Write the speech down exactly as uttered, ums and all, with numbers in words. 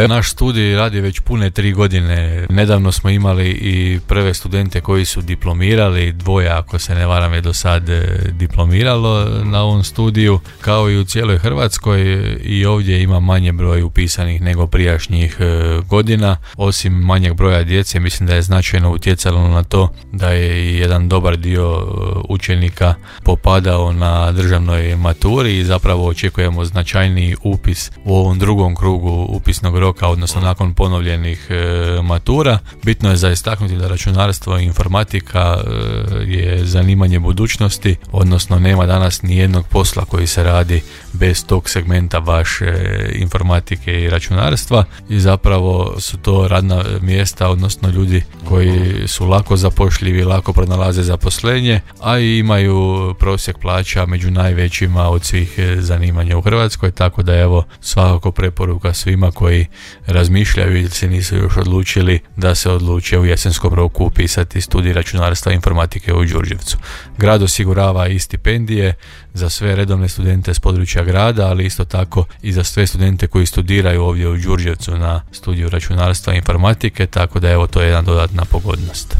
Pa naš studij radi već pune tri godine. Nedavno smo imali i prve studente koji su diplomirali, dvoje ako se ne varam je do sad diplomiralo na ovom studiju, kao i u cijeloj Hrvatskoj. I ovdje ima manje broj upisanih nego prijašnjih godina. Osim manjeg broja djece, mislim da je značajno utjecalo na to da je i jedan dobar dio učenika popadao na državnoj maturi i zapravo očekujemo značajniji upis u ovom drugom krugu upisnog roka, odnosno nakon ponovljenih e, matura. Bitno je za istaknuti da računarstvo i informatika e, je zanimanje budućnosti, odnosno nema danas ni jednog posla koji se radi bez tog segmenta baš e, informatike i računarstva, i zapravo su to radna mjesta, odnosno ljudi koji su lako zapošljivi, lako pronalaze zaposlenje, a i imaju prosjek plaća među najvećima od svih zanimanja u Hrvatskoj, tako da evo svakako preporuka svima koji razmišljaju ili se nisu još odlučili da se odluče u jesenskom roku upisati studij računarstva i informatike u Đurđevcu. Grad osigurava i stipendije za sve redovne studente s područja grada, ali isto tako i za sve studente koji studiraju ovdje u Đurđevcu na studiju računarstva i informatike, tako da evo to je jedna dodatna pogodnost.